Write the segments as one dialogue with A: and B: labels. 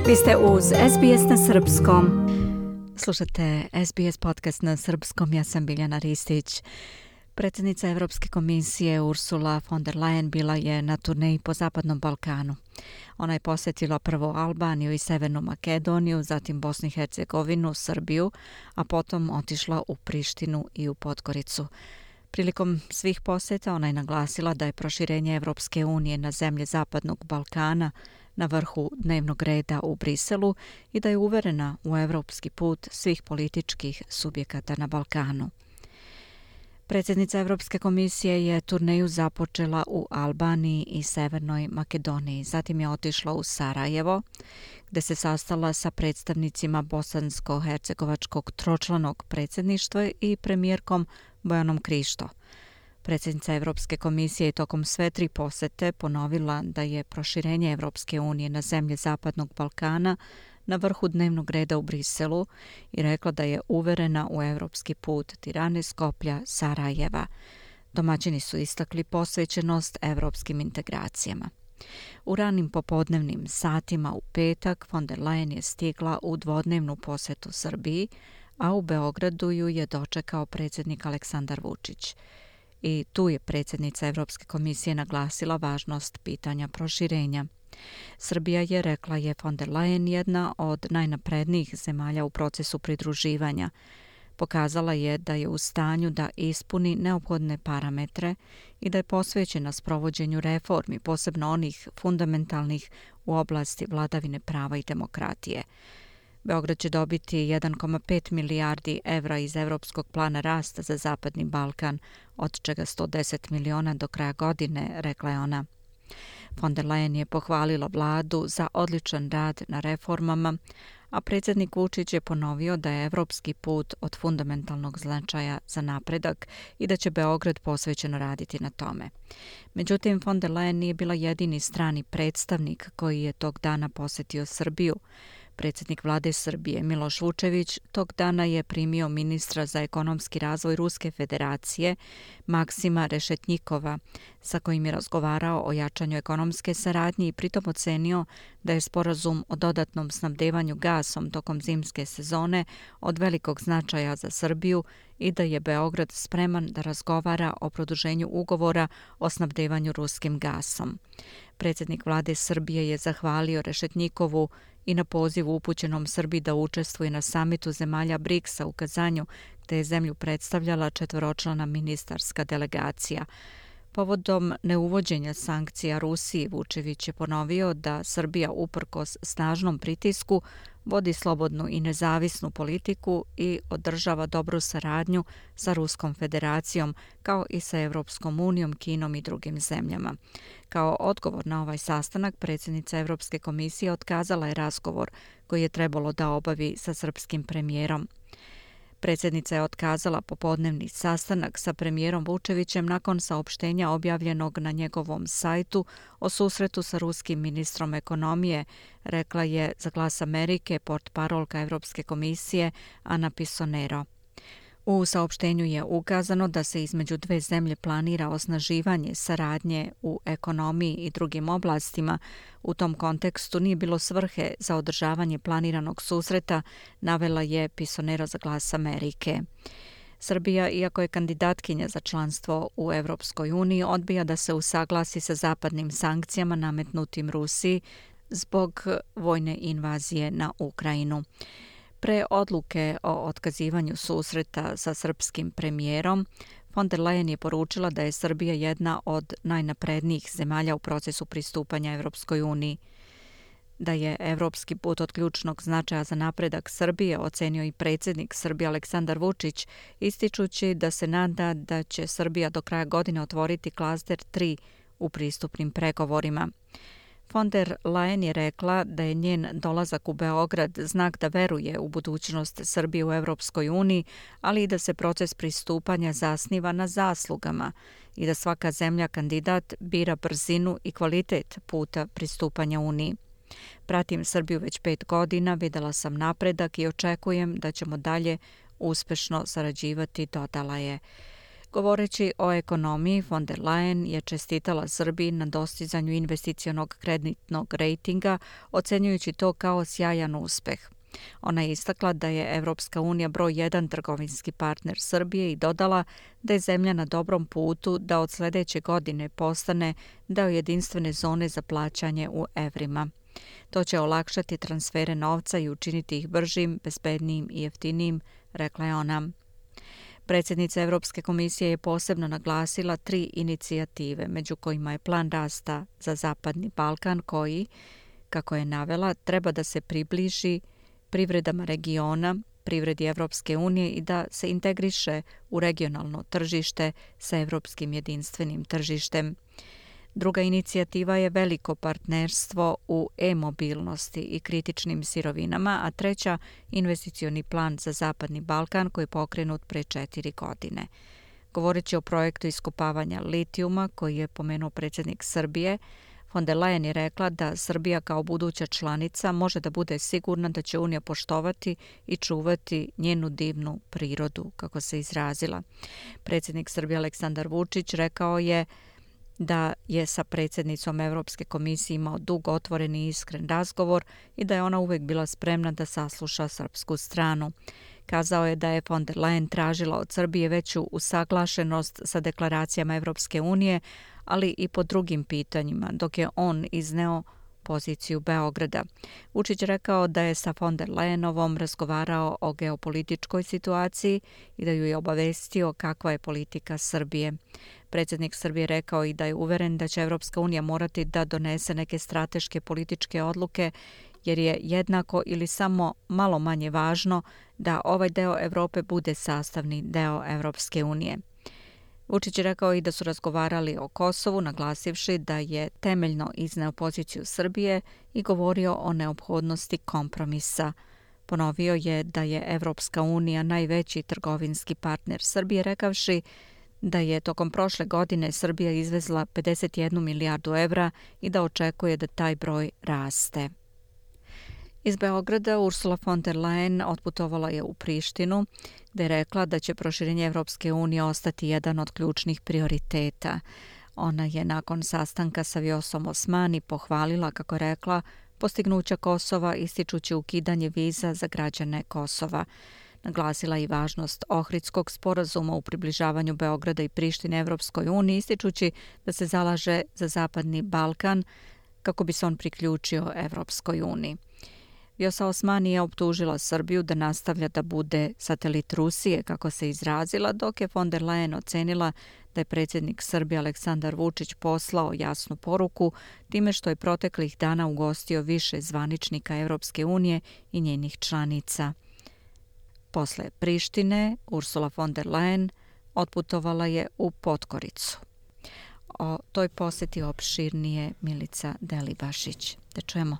A: Vi ste uz SBS na srpskom. Slušate SBS podcast na srpskom, ja sam Biljana Ristić. Predsjednica Evropske komisije Ursula von der Leyen bila je na turneji po Zapadnom Balkanu. Ona je posjetila prvo Albaniju i Severnu Makedoniju, zatim Bosnu i Hercegovinu, Srbiju, a potom otišla u Prištinu i u Podgoricu. Prilikom svih posjeta ona je naglasila da je proširenje Evropske unije na zemlje Zapadnog Balkana na vrhu dnevnog reda u Briselu i da je uverena u evropski put svih političkih subjekata na Balkanu. Predsjednica Evropske komisije je turneju započela u Albaniji i Severnoj Makedoniji. Zatim je otišla u Sarajevo, gdje se sastala sa predstavnicima bosansko-hercegovačkog tročlanog predsjedništva i premijerkom Bojanom Krišto. Predsjednica Evropske komisije je tokom sve tri posjete ponovila da je proširenje Evropske unije na zemlje Zapadnog Balkana na vrhu dnevnog reda u Briselu i rekla da je uverena u evropski put Tirane, Skoplja, Sarajeva. Domaćini su istakli posvećenost evropskim integracijama. U ranim popodnevnim satima u petak von der Leyen je stigla u dvodnevnu posjetu Srbiji, a u Beogradu ju je dočekao predsjednik Aleksandar Vučić. I tu je predsjednica Evropske komisije naglasila važnost pitanja proširenja. Srbija je, rekla je von der Leyen, jedna od najnaprednijih zemalja u procesu pridruživanja. Pokazala je da je u stanju da ispuni neophodne parametre i da je posvećena sprovođenju reformi, posebno onih fundamentalnih u oblasti vladavine prava i demokratije. Beograd će dobiti 1,5 milijardi evra iz Evropskog plana rasta za Zapadni Balkan, od čega 110 miliona do kraja godine, rekla je ona. Von der Leyen je pohvalila vladu za odličan rad na reformama, a predsjednik Vučić je ponovio da je evropski put od fundamentalnog značaja za napredak i da će Beograd posvećeno raditi na tome. Međutim, von der Leyen nije bila jedini strani predstavnik koji je tog dana posjetio Srbiju. Predsjednik vlade Srbije Miloš Vučević tog dana je primio ministra za ekonomski razvoj Ruske federacije Maksima Rešetnjikova, sa kojim je razgovarao o jačanju ekonomske saradnje i pritom ocenio da je sporazum o dodatnom snabdevanju gasom tokom zimske sezone od velikog značaja za Srbiju i da je Beograd spreman da razgovara o produženju ugovora o snabdevanju ruskim gasom. Predsjednik vlade Srbije je zahvalio Rešetnjikovu i na pozivu upućenom Srbiji da učestvuje na samitu zemalja BRICS-a u Kazanju, gdje je zemlju predstavljala četvoročlana ministarska delegacija. Povodom neuvođenja sankcija Rusiji, Vučević je ponovio da Srbija uprkos snažnom pritisku vodi slobodnu i nezavisnu politiku i održava dobru saradnju sa Ruskom federacijom, kao i sa Evropskom unijom, Kinom i drugim zemljama. Kao odgovor na ovaj sastanak, predsjednica Evropske komisije otkazala je razgovor koji je trebalo da obavi sa srpskim premijerom. Predsjednica je otkazala popodnevni sastanak sa premijerom Vučevićem nakon saopštenja objavljenog na njegovom sajtu o susretu sa ruskim ministrom ekonomije, rekla je za Glas Amerike portparolka Evropske komisije Ana Pisonero. U saopštenju je ukazano da se između dve zemlje planira osnaživanje saradnje u ekonomiji i drugim oblastima. U tom kontekstu nije bilo svrhe za održavanje planiranog susreta, navela je Pisonero za Glas Amerike. Srbija, iako je kandidatkinja za članstvo u Evropskoj uniji, odbija da se usaglasi sa zapadnim sankcijama nametnutim Rusiji zbog vojne invazije na Ukrajinu. Pre odluke o otkazivanju susreta sa srpskim premijerom, von der Leyen je poručila da je Srbija jedna od najnaprednijih zemalja u procesu pristupanja Evropskoj uniji. Da je evropski put od ključnog značaja za napredak Srbije, ocenio i predsjednik Srbije Aleksandar Vučić, ističući da se nada da će Srbija do kraja godine otvoriti klaster 3 u pristupnim pregovorima. Von der Leyen je rekla da je njen dolazak u Beograd znak da veruje u budućnost Srbije u Evropskoj uniji, ali i da se proces pristupanja zasniva na zaslugama i da svaka zemlja kandidat bira brzinu i kvalitet puta pristupanja Uniji. Pratim Srbiju već 5 godina, videla sam napredak i očekujem da ćemo dalje uspešno sarađivati, dodala je. Govoreći o ekonomiji, von der Leyen je čestitala Srbiji na dostizanju investicionog kreditnog rejtinga, ocenjujući to kao sjajan uspeh. Ona je istakla da je Evropska unija broj 1 trgovinski partner Srbije i dodala da je zemlja na dobrom putu da od sljedeće godine postane deo jedinstvene zone za plaćanje u evrima. To će olakšati transfere novca i učiniti ih bržim, bezbednijim i jeftinijim, rekla je ona. Predsjednica Europske komisije je posebno naglasila 3 inicijative, među kojima je plan rasta za Zapadni Balkan koji, kako je navela, treba da se približi privredama regiona, privredi Evropske unije i da se integriše u regionalno tržište sa evropskim jedinstvenim tržištem. Druga inicijativa je veliko partnerstvo u e-mobilnosti i kritičnim sirovinama, a treća investicioni plan za Zapadni Balkan koji je pokrenut pre 4 godine. Govoreći o projektu iskopavanja litijuma koji je pomenuo predsjednik Srbije, von der Leyen je rekla da Srbija kao buduća članica može da bude sigurna da će Unija poštovati i čuvati njenu divnu prirodu, kako se izrazila. Predsjednik Srbije Aleksandar Vučić rekao je da je sa predsjednicom Europske komisije imao dug, otvoren i iskren razgovor i da je ona uvijek bila spremna da sasluša srpsku stranu. Kazao je da je von der Leyen tražila od Srbije veću usaglašenost sa deklaracijama Evropske unije, ali i po drugim pitanjima, dok je on izneo poziciju Beograda. Vučić rekao da je sa von der Leyenovom razgovarao o geopolitičkoj situaciji i da ju je obavestio kakva je politika Srbije. Predsjednik Srbije rekao i da je uveren da će Evropska unija morati da donese neke strateške političke odluke, jer je jednako ili samo malo manje važno da ovaj deo Evrope bude sastavni deo Evropske unije. Vučić je rekao i da su razgovarali o Kosovu, naglasivši da je temeljno izneo poziciju Srbije i govorio o neophodnosti kompromisa. Ponovio je da je Evropska unija najveći trgovinski partner Srbije, rekavši da je tokom prošle godine Srbija izvezla 51 milijardu evra i da očekuje da taj broj raste. Iz Beograda Ursula von der Leyen otputovala je u Prištinu, gde je rekla da će proširenje Evropske unije ostati jedan od ključnih prioriteta. Ona je nakon sastanka sa Vjosom Osmani pohvalila, kako je rekla, postignuća Kosova ističući ukidanje viza za građane Kosova. Naglasila i važnost Ohridskog sporazuma u približavanju Beograda i Prištine Evropskoj uniji, ističući da se zalaže za Zapadni Balkan kako bi se on priključio Evropskoj uniji. Vjosa Osmani je optužila Srbiju da nastavlja da bude satelit Rusije, kako se izrazila, dok je von der Leyen ocenila da je predsjednik Srbije Aleksandar Vučić poslao jasnu poruku time što je proteklih dana ugostio više zvaničnika Evropske unije i njenih članica. Posle Prištine, Ursula von der Leyen otputovala je u Podgoricu. O toj posjeti opširnije Milica Delibašić. Da čujemo.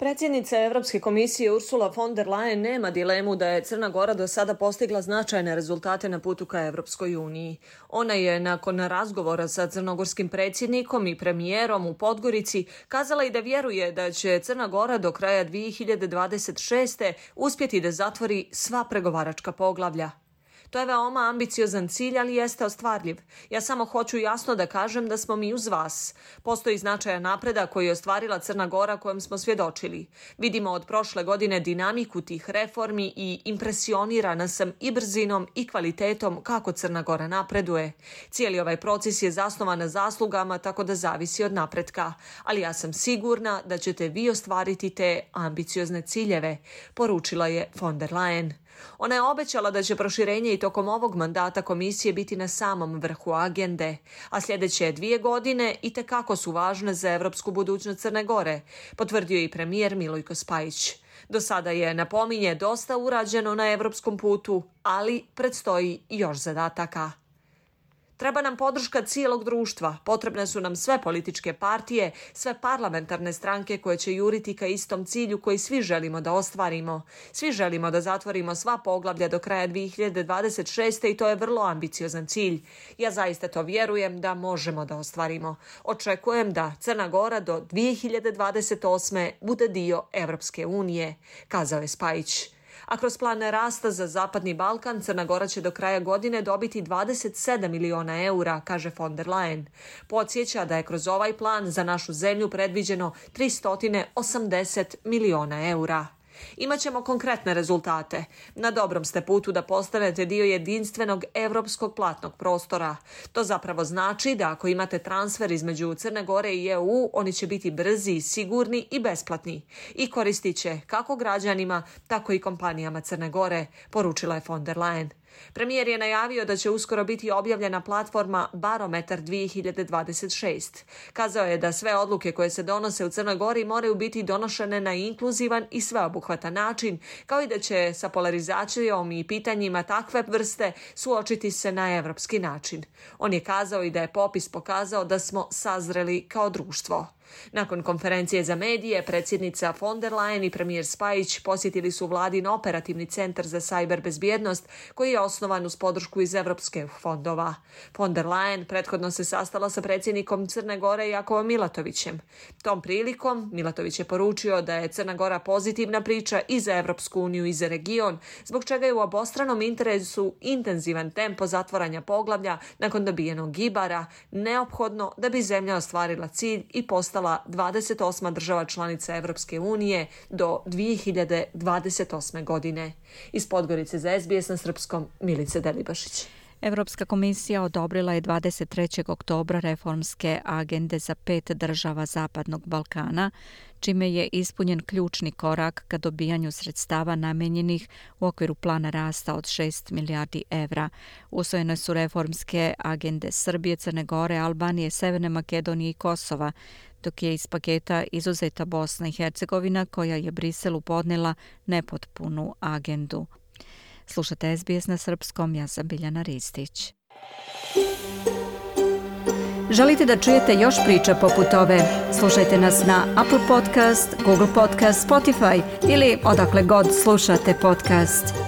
B: Predsjednica Evropske komisije Ursula von der Leyen nema dilemu da je Crna Gora do sada postigla značajne rezultate na putu ka Evropskoj uniji. Ona je nakon razgovora sa crnogorskim predsjednikom i premijerom u Podgorici kazala i da vjeruje da će Crna Gora do kraja 2026. uspjeti da zatvori sva pregovaračka poglavlja. To je veoma ambiciozan cilj, ali jeste ostvarljiv. Ja samo hoću jasno da kažem da smo mi uz vas. Postoji značajan napredak koji je ostvarila Crna Gora kojem smo svjedočili. Vidimo od prošle godine dinamiku tih reformi i impresionirana sam i brzinom i kvalitetom kako Crna Gora napreduje. Cijeli ovaj proces je zasnovan na zaslugama, tako da zavisi od napretka. Ali ja sam sigurna da ćete vi ostvariti te ambiciozne ciljeve, poručila je von der Leyen. Ona je obećala da će proširenje i tokom ovog mandata komisije biti na samom vrhu agende, a sljedeće 2 godine itekako su važne za evropsku budućnost Crne Gore, potvrdio i premijer Milojko Spajić. Do sada je, napominje, dosta urađeno na evropskom putu, ali predstoji još zadataka. Treba nam podrška cijelog društva, potrebne su nam sve političke partije, sve parlamentarne stranke koje će juriti ka istom cilju koji svi želimo da ostvarimo. Svi želimo da zatvorimo sva poglavlja do kraja 2026. i to je vrlo ambiciozan cilj. Ja zaista to vjerujem da možemo da ostvarimo. Očekujem da Crna Gora do 2028. bude dio Evropske unije, kazao je Spajić. A kroz plan rasta za Zapadni Balkan, Crna Gora će do kraja godine dobiti 27 miliona eura, kaže von der Leyen. Podsjeća da je kroz ovaj plan za našu zemlju predviđeno 380 miliona eura. Imaćemo konkretne rezultate. Na dobrom ste putu da postanete dio jedinstvenog evropskog platnog prostora. To zapravo znači da ako imate transfer između Crne Gore i EU, oni će biti brzi, sigurni i besplatni. I koristit će kako građanima, tako i kompanijama Crne Gore, poručila je von der Leyen. Premijer je najavio da će uskoro biti objavljena platforma Barometar 2026. Kazao je da sve odluke koje se donose u Crnoj Gori moraju biti donošene na inkluzivan i sveobuhvatan način, kao i da će sa polarizacijom i pitanjima takve vrste suočiti se na evropski način. On je kazao i da je popis pokazao da smo sazreli kao društvo. Nakon konferencije za medije, predsjednica von der Leyen i premijer Spajić posjetili su vladin operativni centar za sajber bezbjednost koji je osnovan uz podršku iz evropskih fondova. Von der Leyen prethodno se sastala sa predsjednikom Crne Gore Jakovom Milatovićem. Tom prilikom Milatović je poručio da je Crna Gora pozitivna priča i za Evropsku uniju i za region, zbog čega je u obostranom interesu intenzivan tempo zatvaranja poglavlja nakon dobijenog Ibara neophodno da bi zemlja ostvarila cilj i postala 28. država članica Evropske unije do 2028. godine. Iz Podgorice za SBS na srpskom, Milice Delibašić.
A: Evropska komisija odobrila je 23. oktobra reformske agende za 5 država Zapadnog Balkana, čime je ispunjen ključni korak ka dobijanju sredstava namenjenih u okviru plana rasta od 6 milijardi evra. Usvojene su reformske agende Srbije, Crne Gore, Albanije, Severne Makedonije i Kosova, dok je iz paketa izuzeta Bosna i Hercegovina, koja je Briselu podnela nepotpunu agendu. Slušate SBS na srpskom, ja sam Biljana Ristić. Želite da čujete još priča poput ove? Slušajte nas na Apple Podcast, Google Podcast, Spotify ili odakle god slušate podcast.